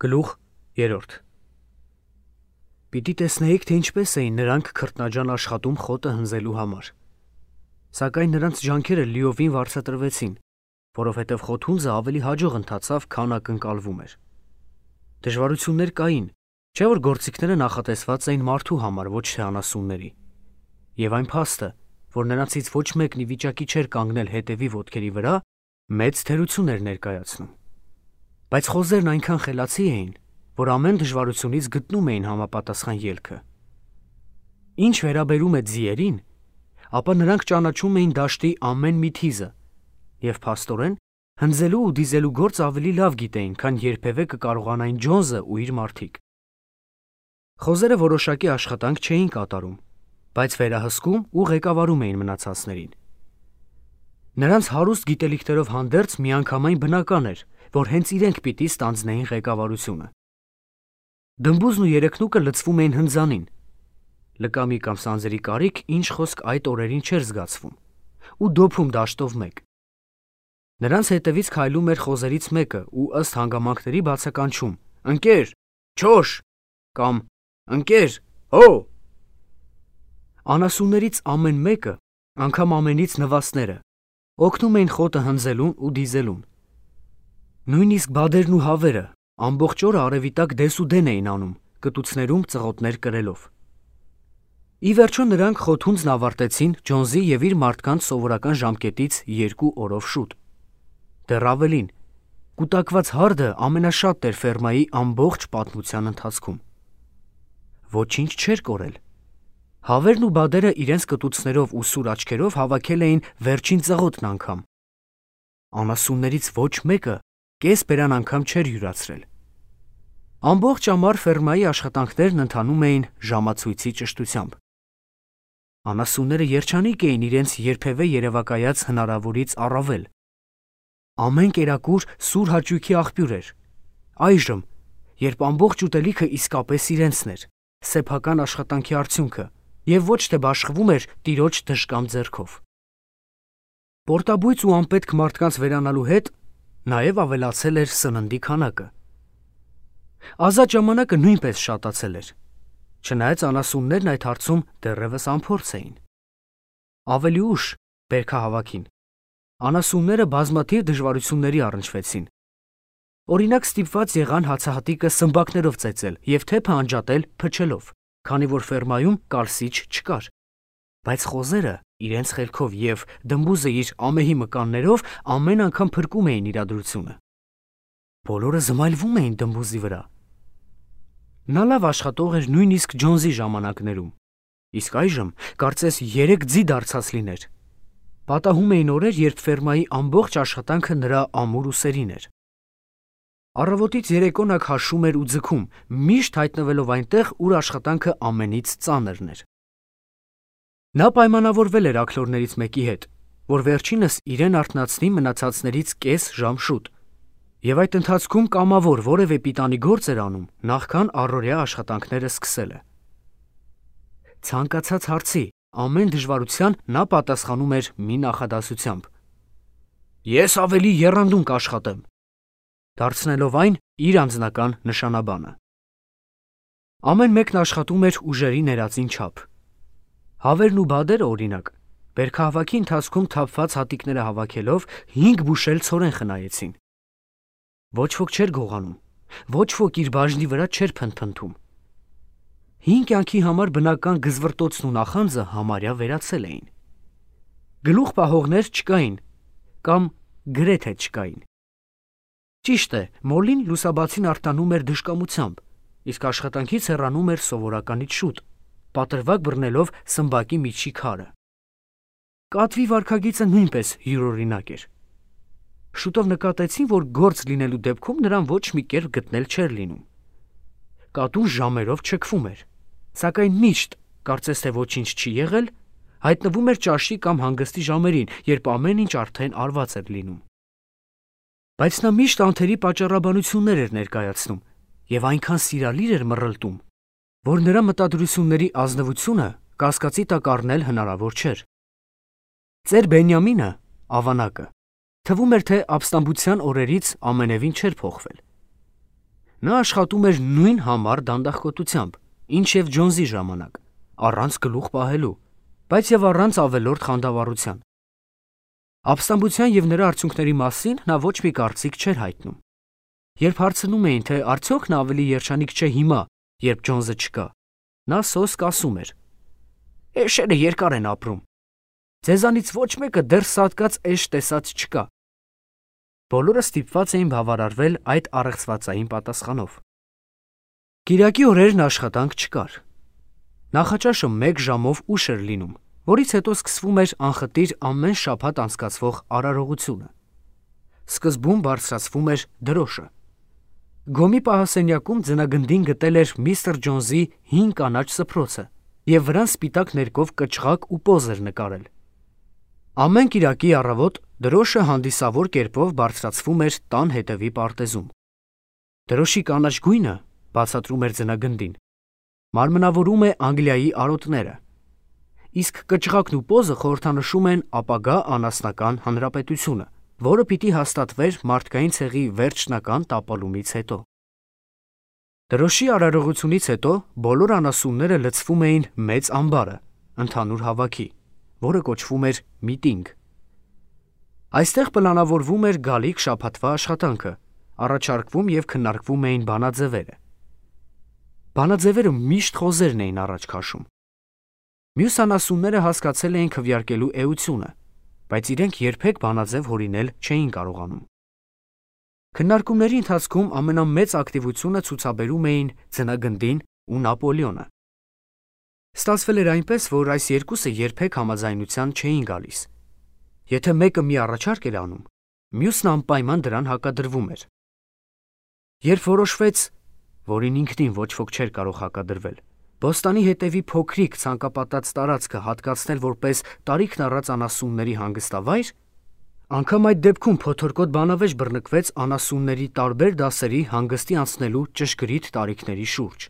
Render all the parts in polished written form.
Գլուխ 3 Պիտի տեսնեիք, թե ինչպես էին նրանք քրտնաջան աշխատում խոտը հնձելու համար, սակայն նրանց ջանքերը լիովին վարձատրվեցին, որովհետև խոթհունձը ավելի հաջող ընթացավ, քան ակնկալվում էր։ Դժվարություններ կային, չէ՞ որ գործիքները նախատեսված էին մարդու համար, ոչ թե անասունների, եւ այն փաստը, որ նրանցից ոչ մեկն ի վիճակի չէր կանգնել հետևի ոտքերի վրա, մեծ թերություն էր ներկայացնում։ Բայց խոզերն այնքան խելացի էին, որ ամեն դժվարությունից գտնում էին համապատասխան ելքը։ Ինչ վերաբերում է ձիերին, ապա նրանք ճանաչում էին դաշտի ամեն մի թիզը եւ փաստորեն հնձելու ու դիզելու գործ ավելի լավ գիտեին, քան երբևէ կկարողանային Ջոնսը ու իր մարդիկ։ Խոզերը որոշակի աշխատանք չէին կատարում, բայց վերահսկում ու ղեկավարում էին մնացածներին։ Նրանց հարուստ գիտելիքներով հանդերձ միանգամայն բնական էր, որ հենց իրենք պիտի ստանձնեին ղեկավարությունը։ Դմբուզն ու երեքնուկը լցվում էին հնձանին։ Լկամի կամ սանձերի կարիք ինչ խոսք այդ օրերին չէր զգացվում, ու դոփում դաշտով մեկ։ Նրանց հետևից քայլում էր խոզերից մեկը ու ըստ հանգամանքների բացականչում. «Ընկեր, չոշ» կամ «Ընկեր, հո»։ Անասուններից ամեն մեկը, անգամ ամենից նվաստները, օգնում էին խոտը հնձելուն ու դիզելուն։ Նույնիսկ բադերն ու հավերը ամբողջ օրը արևի տակ դեսուդեն էին անում, կտուցներում ծղոտներ կրելով։ Ի վերջո նրանք խոթհունձն ավարտեցին Ջոնսի եւ իր մարդկանց սովորական ժամկետից 2 օրով շուտ։ Դեռ ավելին, կուտակված հարդը ամենաշատն էր ֆերմայի ամբողջ պատմության ընթացքում։ Ոչինչ չէր կորել։ Հավերն ու բադերը իրենց կտուցներով ու սուր աչքերով հավաքել էին վերջին ծղոտն անգամ։ Անասուններից ոչ մեկը կես բերան անգամ չէր յուրացրել։ Ամբողջ ամառ ֆերմայի աշխատանքներն ընթանում էին ժամացույցի ճշտությամբ։ Անասունները երջանիկ էին իրենց երբևէ երևակայած հնարավորից առավել։ Ամեն կերակուր սուր հաճույքի աղբյուր էր։ Այժմ, երբ ամբողջ ուտելիքը իսկապես իրենցն էր, սեփական աշխատանքի արդյունքը, եւ ոչ թե բաշխվում էր տիրոջ դժկամ ձեռքով։ Պորտաբույծ ու անպետք մարդկանց վերանալու հետ նաեւ ավելացել էր սննդի քանակը։ Ազատ ժամանակը նույնպես շատացել էր, չնայած անասուններն այդ հարցում դեռևս անփորձ էին։ Ավելի ուշ, բերքահավաքին, անասունները բազմաթիվ դժվարությունների առնչվեցին։ Օրինակ ստիպված եղան հացահատիկը սմբակներով ծեծել եւ թեփը անջատել փչելով, քանի որ ֆերմայում կալսիչ չկար։ Բայց խոզերը իրենց խելքով եւ դմբուզը իր ամեհի մկաններով ամեն անգամ փրկում էին իրադրությունը։ Բոլորը զմայլվում էին դմբուզի վրա։ Նա լավ աշխատող էր նույնիսկ Ջոնսի ժամանակներում, իսկ այժմ կարծես 3 ձի դարձած լիներ։ Պատահում էին օրեր, երբ ֆերմայի ամբողջ աշխատանքը նրա ամուր ուսերին էր։ Առավոտից երեկո նա քաշում էր ու ձգում, միշտ հայտնվելով այնտեղ, ուր աշխատանքը ամենից ծանրն էր։ Նա պայմանավորվել էր աքլորներից մեկի հետ, որ վերջինս իրեն արթնացնի մնացածներից կես ժամ շուտ, եւ այդ ընթացքում կամավոր որևէ պիտանի գործ էր անում, նախքան առօրյա աշխատանքները սկսելը։ Ցանկացած հարցի, ամեն դժվարության նա պատասխանում էր մի նախադասությամբ. «Ես ավելի եռանդուն կաշխատեմ», դարձնելով այն իր անձնական նշանաբանը։ Ամեն մեկն աշխատում էր ուժերի ներածին չափ։ Հավերն ու բադերը, օրինակ, բերքահավաքի ընթացքում թափված հատիկները հավաքելով 5 բուշել ցորեն խնայեցին։ Ոչ ոք չէր գողանում, ոչ ոք իր բաժնի վրա չէր փնթփնթում։ 5 կյանքի համար բնական գզվռտոցն ու նախանձը համարյա վերացել էին։ Գլուխ պահողներ չկային, կամ գրեթե չկային։ Ճիշտ է, Մոլին լուսաբացին արտանում էր դժկամությամբ, իսկ աշխատանքից հեռանում էր սովորականից շուտ, պատրվակ բռնելով սմբակի միջի քարը։ Կատվի վարքագիծը նույնպես յուրօրինակ էր։ Շուտով նկատեցին, որ գործ լինելու դեպքում նրան ոչ մի կերպ գտնել չէր լինում։ Կատուն ժամերով չքվում էր, սակայն միշտ, կարծես թե ոչինչ չի եղել, հայտնվում էր ճաշի կամ հանգստի ժամերին, երբ ամեն ինչ արդեն արված էր լինում։ Բայց նա միշտ անթերի պատճառաբանություններ էր ներկայացնում եւ այնքան սիրալիր էր մռլտում, որ նրա մտադրությունների ազնվությունը կասկածի տակ առնել հնարավոր չէր։ Ծեր Բենյամինը, ավանակը, թվում էր, թե ապստամբության օրերից ամենևին չէր փոխվել։ Նա աշխատում էր նույն համառ դանդաղկոտությամբ, ինչ և Ջոնսի ժամանակ, առանց գլուխ պահելու, բայց և առանց ավելորդ խանդավառության։ Ապստամբության և նրա արդյունքների մասին նա ոչ մի կարծիք չէր հայտնում։ Երբ հարցնում էին, թե արդյոք նա ավելի երջանիկ չէ հիմա, երբ Ջոնսը չկա, նա սոսկ ասում էր. «Էշերը երկար են ապրում։ Ձեզանից ոչ մեկը դեռ սատկած էշ տեսած չկա»։ Բոլորը ստիպված էին բավարարվել այդ առեղծվածային պատասխանով։ Կիրակի օրերն աշխատանք չկար։ Նախաճաշը 1 ժամով ուշ էր լինում, որից հետո սկսվում էր անխտիր ամեն շաբաթ անցկացվող արարողությունը։ Սկզբում բարձրացվում էր դրոշը։ Գոմի պահասենյակում ձնագնդին գտել էր միստր Ջոնսի հին կանաչ սփռոցը և վրան սպիտակ ներկով կչղակ ու պոզ էր նկարել։ Ամեն կիրակի առավոտ դրոշը հանդիսավոր կերպով բարձրացվում էր տան հետևի պարտեզում։ Դրոշի կանաչ գույնը, բացատրում էր ձնագնդին, մարմնավորում է Անգլիայի արոտները, իսկ կչղակն ու պոզը խորհրդանշում են ապագա անասնական հանրապետությունը, որը պիտի հաստատվեր մարդկային ցեղի վերջնական տապալումից հետո։ Դրոշի արարողությունից հետո բոլոր անասունները լցվում էին մեծ ամբարը, ընդհանուր հավաքի, որը կոչվում էր միտինգ։ Այստեղ պլանավորվում էր գալիք շաբաթվա աշխատանքը, առաջարկվում և քննարկվում էին բանաձևերը։ Բանաձևերը միշտ խոզերն էին առաջ քաշում։ Մյուս անասունները հասկացել էին քվեարկելու էությունը, բայց իրենք երբեք բանաձև հորինել չէին կարողանում։ Քննարկումների ընթացքում ամենամեծ ակտիվությունը ցուցաբերում էին ձնագնդին ու Նապոլեոնը։ Ստացվել էր այնպես, որ այս երկուսը երբեք համաձայնության չէին գալիս։ Եթե մեկը մի առաջարկ էր անում, մյուսն անպայման դրան հակադրվում էր։ Երբ որոշվեց, որին ինքնին ոչ ոք չէր կարող հակադրվել, Բոստանի հետևի փոքրիկ ցանկապատած տարածքը հատկացնել որպես տարիքն առած անասունների հանգստավայր, անգամ այդ դեպքում փոթորկոտ բանավեճ բռնկվեց անասունների տարբեր դասերի հանգստի անցնելու ճշգրիտ տարիքների շուրջ։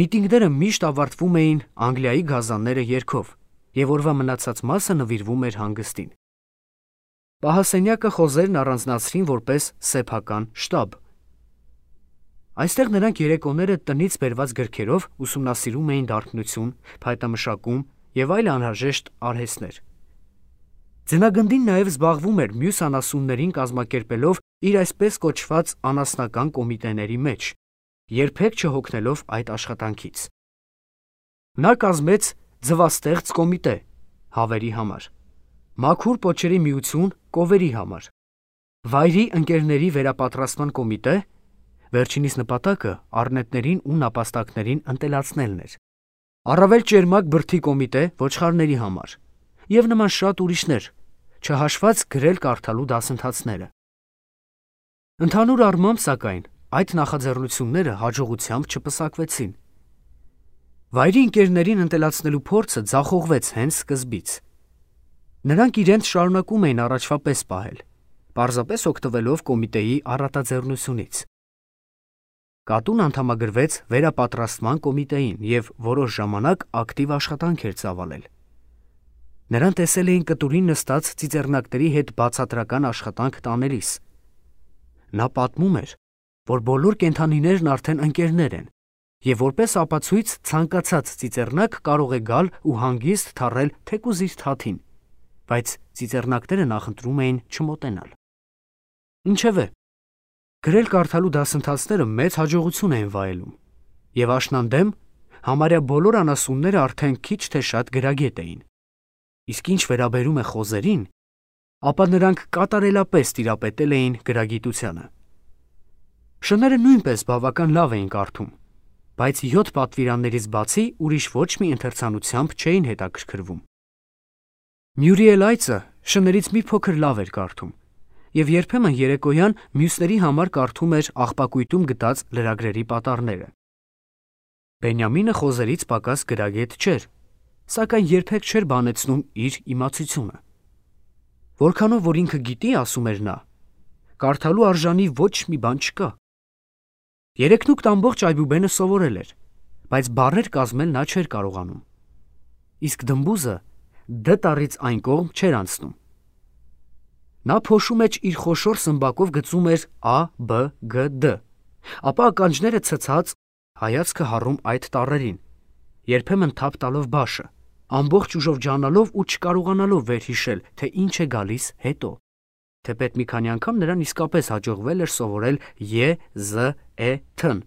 Միտինգները միշտ ավարտվում էին Անգլիայի գազանները երգով, և օրվա մնացած մասը նվիրվում էր հանգստին։ Պահասենյակը խոզերն առանձնացրին որպես սեփական շտաբ։ Այստեղ նրանք երեկոները տնից բերված գրքերով ուսումնասիրում էին դարբնություն, փայտամշակում և այլ անհրաժեշտ արհեստներ։ Ձնագնդին նաև զբաղվում էր մյուս անասուններին կազմակերպելով իր այսպես կոչված անասնական կոմիտեների մեջ, երբեք չհոգնելով այդ աշխատանքից։ Նա կազմեց ձվաստեղծ կոմիտե հավերի համար, մաքուր պոչերի միություն կովերի համար, վայրի ընկերների վերապատրաստման կոմիտե, վերջինիս նպատակը առնետներին ու նապաստակներին ընտելացնելն էր, առավել ճերմակ բրդի կոմիտե ոչխարների համար և նման շատ ուրիշներ, չհաշված գրել-կարդալու դասընթացները։ Ընդհանուր առմամբ, սակայն, այդ նախաձեռնությունները հաջողությամբ չպսակվեցին։ Վայրի ընկերներին ընտելացնելու փորձը ձախողվեց հենց սկզբից։ Նրանք իրենց շարունակում էին առաջվա պես պահել, պարզապես օգտվելով կոմիտեի առատաձեռնությունից։ Կատուն անդամագրվեց վերապատրաստման կոմիտեին և որոշ ժամանակ ակտիվ աշխատանք էր ծավալել։ Նրան տեսել էին կտուրին նստած ծիծեռնակների հետ բացատրական աշխատանք տանելիս։ Նա պատմում էր, որ բոլոր կենդանիներն արդեն ընկերներ են, և որպես ապացույց ցանկացած ծիծեռնակ կարող է գալ ու հանգիստ թռել թեկուզ իր թաթին, բայց ծիծեռնակները նախընտրում էին չմոտենալ։ Ինչևէ, գրել-կարդալու դասընթացները մեծ հաջողություն էին վայելում, և աշնանդեմ համարյա բոլոր անասունները արդեն քիչ թե շատ գրագետ էին։ Իսկ ինչ վերաբերում է խոզերին, ապա նրանք կատարելապես տիրապետել էին գրագիտությանը։ Շները նույնպես բավական լավ էին կարդում, բայց 7 պատվիրաններից բացի ուրիշ ոչ մի ընթերցանությամբ չէին հետաքրքրվում։ Մյուրիել այծը շներից մի փոքր լավ էր կարդում, և երբեմն երեկոյան մյուսների համար կարդում էր աղբակույտում գտած լրագրերի պատառները։ Բենյամինը խոզերից պակաս գրագետ չէր, սակայն երբեք չէր բանեցնում իր իմացությունը։ Որքանով որ ինքը գիտի, ասում էր նա, կարդալու արժանի ոչ մի բան չկա։ Երեքնուկտ ամբողջ այբուբենը սովորել էր, բայց բառեր կազմել նա չէր կարողանում։ Իսկ դմբուզը դ տառից այն կողմ չէր անցնում։ Նա փոշու մեջ իր խոշոր սմբակով գծում էր A, B, G, D, ապա ականջները ցցած հայացքը հառում այդ տառերին, երբեմն թափ տալով բաշը, ամբողջ ուժով ջանալով ու չկարողանալով վերհիշել, թե ինչ է գալիս հետո։ Թեպետ մի քանի անգամ նրան իսկապես հաջողվել էր սովորել ե, զ, է, թ-ն,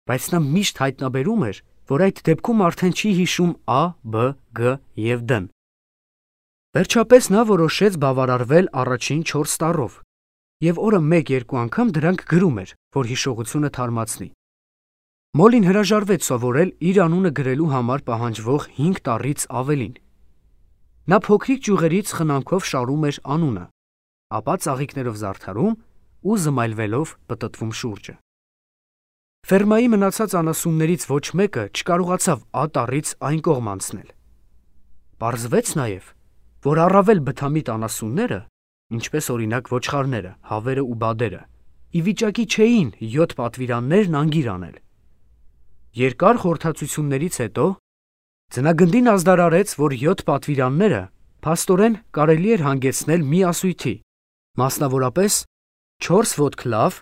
բայց նա միշտ հայտնաբերում էր, որ այդ դեպքում արդեն չի հիշում ա, բ, գ և դ-ն։ Վերջապես նա որոշեց բավարարվել առաջին 4 տառով, և օրը 1-2 անգամ դրանք գրում էր, որ հիշողությունը թարմացնի։ Մոլին հրաժարվեց սովորել իր անունը գրելու համար պահանջվող 5 տառից ավելին։ Նա փոքրիկ ճյուղերից խնամքով շարում էր անունը, ապա ծաղիկներով զարդարում ու զմայլվելով պտտվում շուրջը։ Ֆերմայի մնացած անասուններից ոչ մեկը չկարողացավ ա տառից այն կողմ անցնել։ Պարզվեց նաև, որ առավել բթամիտ անասունները, ինչպես օրինակ ոչխարները, հավերը ու բադերը, ի վիճակի չէին 7 պատվիրաններն անգիր անել։ Երկար խորհրդածություններից հետո ձնագնդին ազդարարեց, որ 7 պատվիրանները փաստորեն կարելի էր հանգեցնել մի ասույթի, մասնավորապես 4 ոտք լավ,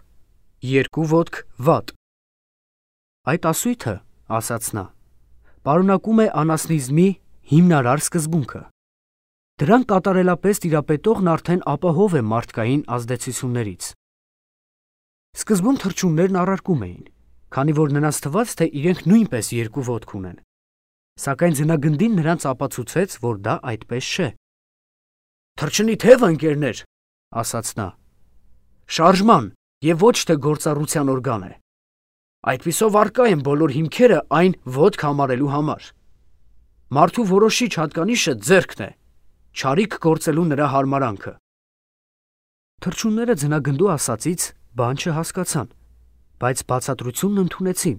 2 ոտք վատ։ Այդ ասույթը, ասաց նա, պարունակում է անասնիզմի հիմնարար սկզբունքը։ Դրան կատարելապես տիրապետողն արդեն ապահով է մարդկային ազդեցություններից։ Սկզբում թռչուններն առարկում էին, քանի որ նրանց թվաց, թե իրենք նույնպես 2 ոտք ունեն, սակայն ձնագնդին նրանց ապացուցեց, որ դա այդպես չէ։ «Թռչնի թևը, ընկերներ, ասաց նա, շարժման և ոչ թե գործառության օրգան է։ Այդպիսով առկա են բոլոր հիմքերը այն ոտք համարելու համար։ Մարդու որոշիչ հատկանիշը ձեռքն է, չարիք գործելու նրա հարմարանքը»։ Թռչունները ձնագնդու ասածից բան չհասկացան, բայց բացատրությունն ընդունեցին,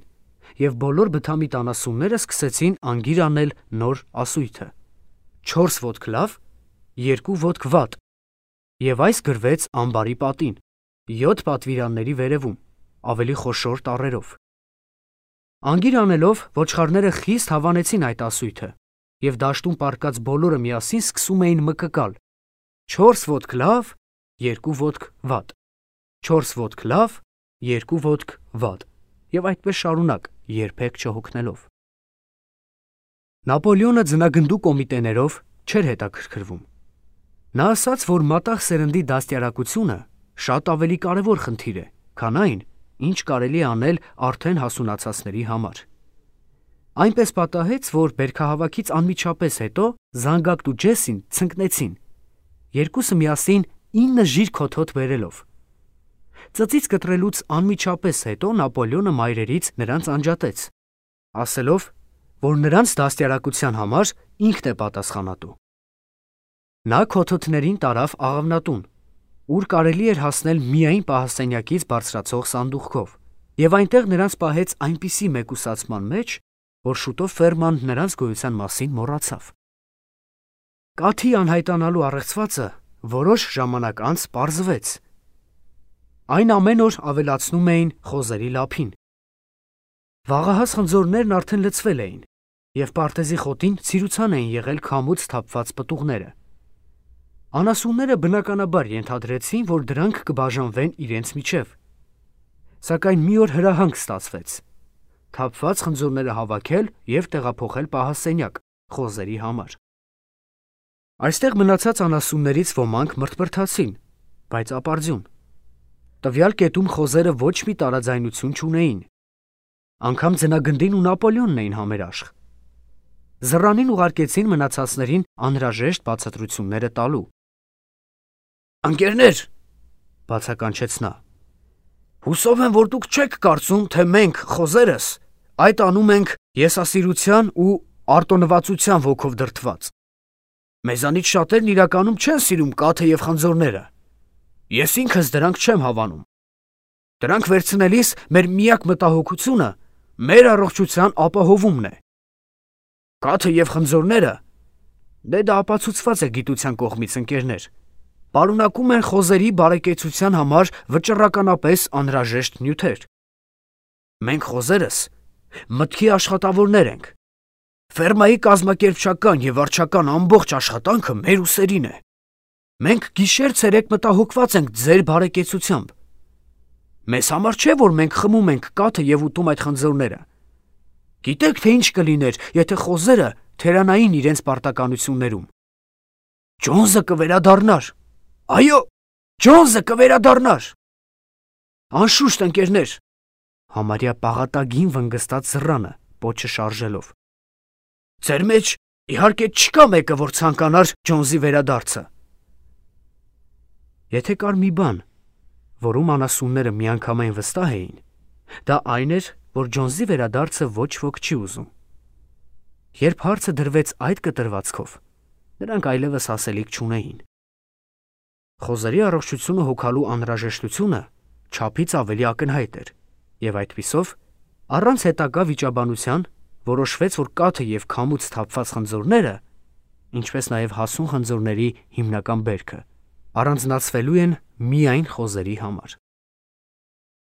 և բոլոր բթամիտ անասունները սկսեցին անգիր անել նոր ասույթը՝ 4 ոտք լավ, 2 ոտք վատ, և այս գրվեց ամբարի պատին, 7 պատվիրանների վերևում, ավելի խոշոր տառերով։ Անգիր անելով ոչխարները խիստ հավանեցին այդ ասույթը, և դաշտում պառկած բոլորը միասին սկսում էին մկկալ. 4 ոտք լավ, 2 ոտք վատ, 4 ոտք լավ, 2 ոտք վատ, և այդպես շարունակ, երբեք չհոգնելով։ Նապոլեոնը ձնագնդու կոմիտեներով չէր հետաքրքրվում։ Նա ասաց, որ մատաղ սերնդի դաստիարակությունը շատ ավելի կարևոր խնդիր է, քան այն, ինչ կարելի է անել արդեն հասունացածների համար։ Այնպես պատահեց, որ բերքահավաքից անմիջապես հետո Զանգակն ու Ջեսին ցնկնեցին, երկուսը միասին 9 ժիր քոթոտ բերելով։ Ծծից կտրելուց անմիջապես հետո Նապոլեոնը մայրերից նրանց անջատեց, ասելով, որ նրանց դաստիարակության համար ինքն է պատասխանատու։ Նա քոթոթներին տարավ աղավնատուն, ուր կարելի էր հասնել միայն պահաստենյակից բարձրացող սանդուղքով, և այնտեղ նրանց պահեց այնպիսի մեկուսացման մեջ, որ շուտով ֆերման նրանց գոյության մասին մոռացավ։ Կաթի անհայտանալու առեղծվածը որոշ ժամանակ անց պարզվեց։ Այն ամեն օր ավելացնում էին խոզերի լափին։ Վաղահաս խնձորներն արդեն լցվել էին, և պարտեզի խոտին ցիրուցան էին եղել քամուց թափված պտուղները։ Անասունները բնականաբար ենթադրեցին, որ դրանք կբաժանվեն իրենց միջև, սակայն մի օր հրահանգ ստացվեց՝ թափված խնձորները հավաքել և տեղափոխել պահաստենյակ խոզերի համար։ Այստեղ մնացած անասուններից ոմանք մրթմրթացին, բայց ապարդյուն։ Տվյալ կետում խոզերը ոչ մի տարաձայնություն չունեին։ Անգամ ձնագնդին ու Նապոլեոնն էին համերաշխ։ Զռանին ուղարկեցին մնացածներին անհրաժեշտ բացատրությունները տալու։ «Ընկերներ», բացականչեց նա, «հուսով եմ, որ դուք չեք կարծում, թե մենք, խոզերս, այդ անում ենք եսասիրության ու արտոնվածության ոգով դրդված։ Մեզանից շատերն իրականում չեն սիրում կաթը և խնձորները։ Ես ինքս դրանք չեմ հավանում։ Դրանք վերցնելիս մեր միակ մտահոգությունը մեր առողջության ապահովումն է։ Կաթը և խնձորները, դա ապացուցված է գիտության կողմից, ընկերներ, պարունակում են խոզերի բարեկեցության համար վճռականապես անհրաժեշտ նյութեր։ Մենք խոզերս մտքի աշխատավորներ ենք։ Ֆերմայի կազմակերպչական և վարչական ամբողջ աշխատանքը մեր ուսերին է։ Մենք գիշեր ցերեկ մտահոգված ենք ձեր բարեկեցությամբ։ Մեզ համար չէ, որ մենք խմում ենք կաթը եւ ուտում այդ խնձորները։ Գիտեք, թե ինչ կլիներ, եթե խոզերը թերանային իրենց պարտականություններում։ Ջոնսը կվերադառնար։ Այո, Ջոնսը կվերադառնար։ Անշուշտ, ընկերներ, համարյա պաղատագին վնգստած զռանը, պոչը շարժելով։ Ձեր մեջ իհարկե չկա մեկը, որ ցանկանար Ջոնսի վերադարձը։ Եթե կար մի բան, որում անասունները միանգամայն վստահ էին, դա այն էր, որ Ջոնսի վերադարձը ոչ ոք չի ուզում։ Երբ հարցը դրվեց այդ կտրվածքով, նրանք այլևս ասելիք չունեին։ Խոզերի առողջությունը հոգալու անհրաժեշտությունը չափից ավելի ակնհայտ էր, եւ այդպիսով, առանց հետագա վիճաբանության, որոշվեց, որ կաթը եւ քամուց թափված խնձորները, ինչպես նաեւ հասուն խնձորների հիմնական բերքը, առանձնացվելու են միայն խոզերի համար։